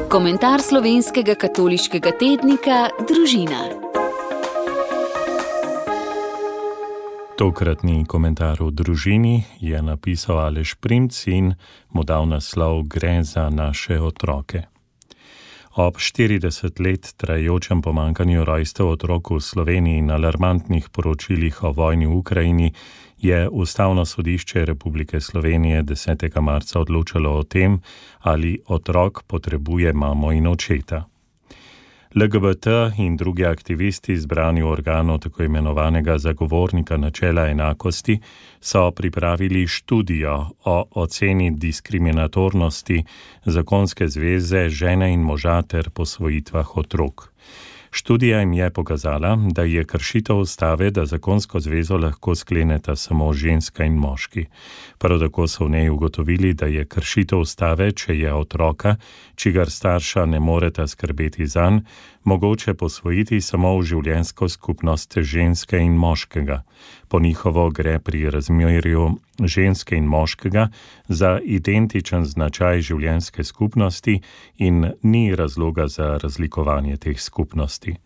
Komentar slovenskega katoliškega tednika Družina. Tokratni komentar v Družini je napisal Aleš Primc in mu dal naslov Gre za naše otroke. Ob 40 let trajajočem pomanjkanju rojstev otrok v Sloveniji in alarmantnih poročilih o vojni v Ukrajini je Ustavno sodišče Republike Slovenije 10. marca odločalo o tem, ali otrok potrebuje mamo in očeta. LGBT in drugi aktivisti zbrani v organu tako imenovanega zagovornika načela enakosti so pripravili študijo o oceni diskriminatornosti zakonske zveze žene in moža ter posvojitvah otrok. Študija jim je pokazala, da je kršitev ustave, da zakonsko zvezo lahko skleneta samo ženska in moški. Prav tako so v njej ugotovili, da je kršitev ustave, če je otroka, čigar starša ne moreta skrbeti zanj, mogoče posvojiti samo v življenjsko skupnost ženske in moškega. Po njihovo gre pri razmerju ženske in moškega za identičen značaj življenjske skupnosti in ni razloga za razlikovanje teh skupnosti.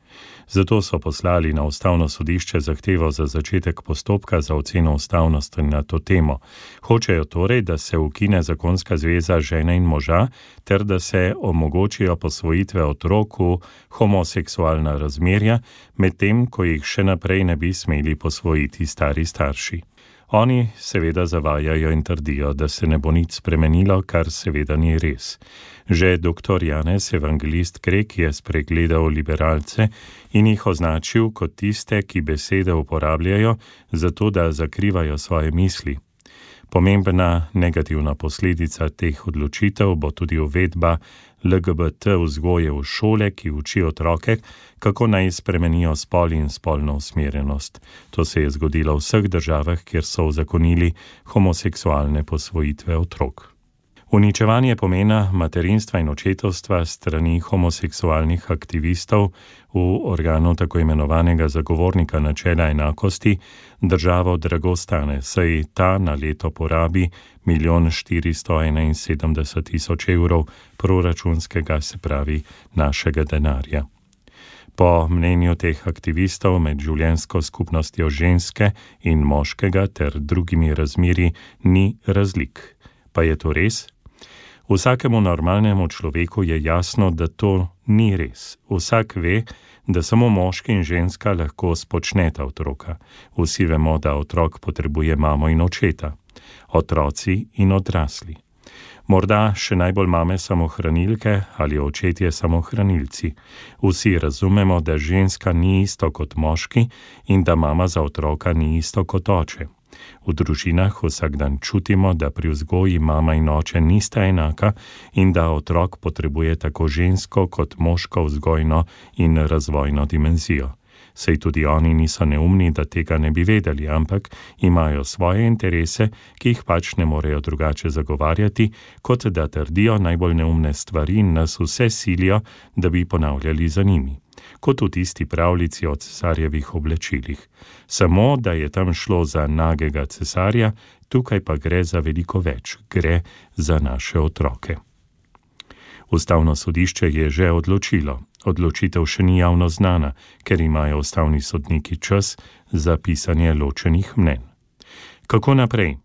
Zato so poslali na Ustavno sodišče zahtevo za začetek postopka za oceno ustavnosti na to temo. Hočejo torej, da se ukine zakonska zveza žene in moža, ter da se omogočijo posvojitve otrok v homoseksualna razmerja, medtem ko jih še naprej ne bi smeli posvojiti stari starši. Oni seveda zavajajo in trdijo, da se ne bo nič spremenilo, kar seveda ni res. Že dr. Janez Evangelist Krek je spregledal liberalce in jih označil kot tiste, ki besede uporabljajo, zato da zakrivajo svoje misli. Pomembna negativna posledica teh odločitev bo tudi uvedba LGBT vzgoje v šole, ki uči otroke, kako naj spremenijo spol in spolno usmerjenost. To se je zgodilo v vseh državah, kjer so uzakonili homoseksualne posvojitve otrok. Uničevanje pomena materinstva in očetovstva strani homoseksualnih aktivistov v organu tako imenovanega zagovornika načela enakosti državo drago stane, saj ta na leto porabi 1 471 000 evrov proračunskega, se pravi našega denarja. Po mnenju teh aktivistov med življenjsko skupnostjo ženske in moškega ter drugimi razmerji ni razlik. Pa je to res? Vsakemu normalnemu človeku je jasno, da to ni res. Vsak ve, da samo moški in ženska lahko spočneta otroka. Vsi vemo, da otrok potrebuje mamo in očeta. Otroci in odrasli. Morda še najbolj mame samohranilke ali očetje samohranilci. Vsi razumemo, da ženska ni isto kot moški in da mama za otroka ni isto kot oče. V družinah vsak dan čutimo, da pri vzgoji mama in oče nista enaka in da otrok potrebuje tako žensko kot moško vzgojno in razvojno dimenzijo. Sej tudi oni niso neumni, da tega ne bi vedeli, ampak imajo svoje interese, ki jih pač ne morejo drugače zagovarjati, kot da trdijo najbolj neumne stvari in nas vse silijo, da bi ponavljali za njimi. Kot v tisti pravljici o cesarjevih oblačilih. Samo, da je tam šlo za nagega cesarja, tukaj pa gre za veliko več, gre za naše otroke. Ustavno sodišče je že odločilo. Odločitev še ni javno znana, ker imajo ustavni sodniki čas za pisanje ločenih mnenj. Kako naprej?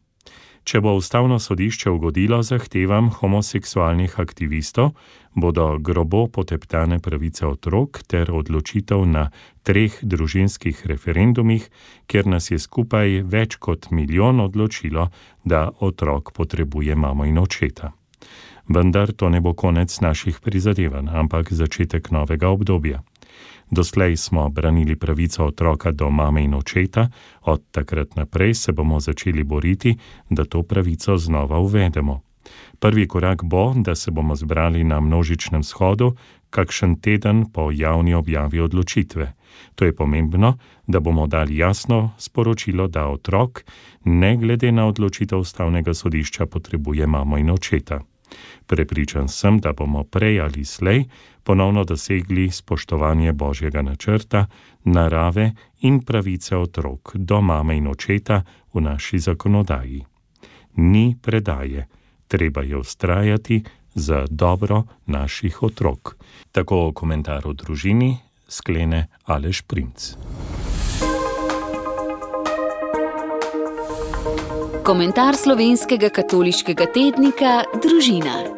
Če bo Ustavno sodišče ugodilo zahtevam homoseksualnih aktivistov, bodo grobo poteptane pravice otrok ter odločitev na 3 družinskih referendumih, kjer nas je skupaj več kot 1 milijon odločilo, da otrok potrebuje mamo in očeta. Vendar to ne bo konec naših prizadevanj, ampak začetek novega obdobja. Doslej smo branili pravico otroka do mame in očeta, od takrat naprej se bomo začeli boriti, da to pravico znova uvedemo. Prvi korak bo, da se bomo zbrali na množičnem shodu, kakšen teden po javni objavi odločitve. To je pomembno, da bomo dali jasno sporočilo, da otrok, ne glede na odločitev Ustavnega sodišča, potrebuje mamo in očeta. Prepričan sem, da bomo prej ali slej ponovno dosegli spoštovanje Božjega načrta, narave in pravice otrok do mame in očeta v naši zakonodaji. Ni predaje, treba je vztrajati za dobro naših otrok. Tako komentar o družini sklene Aleš Primc. Komentar slovenskega katoliškega tednika Družina.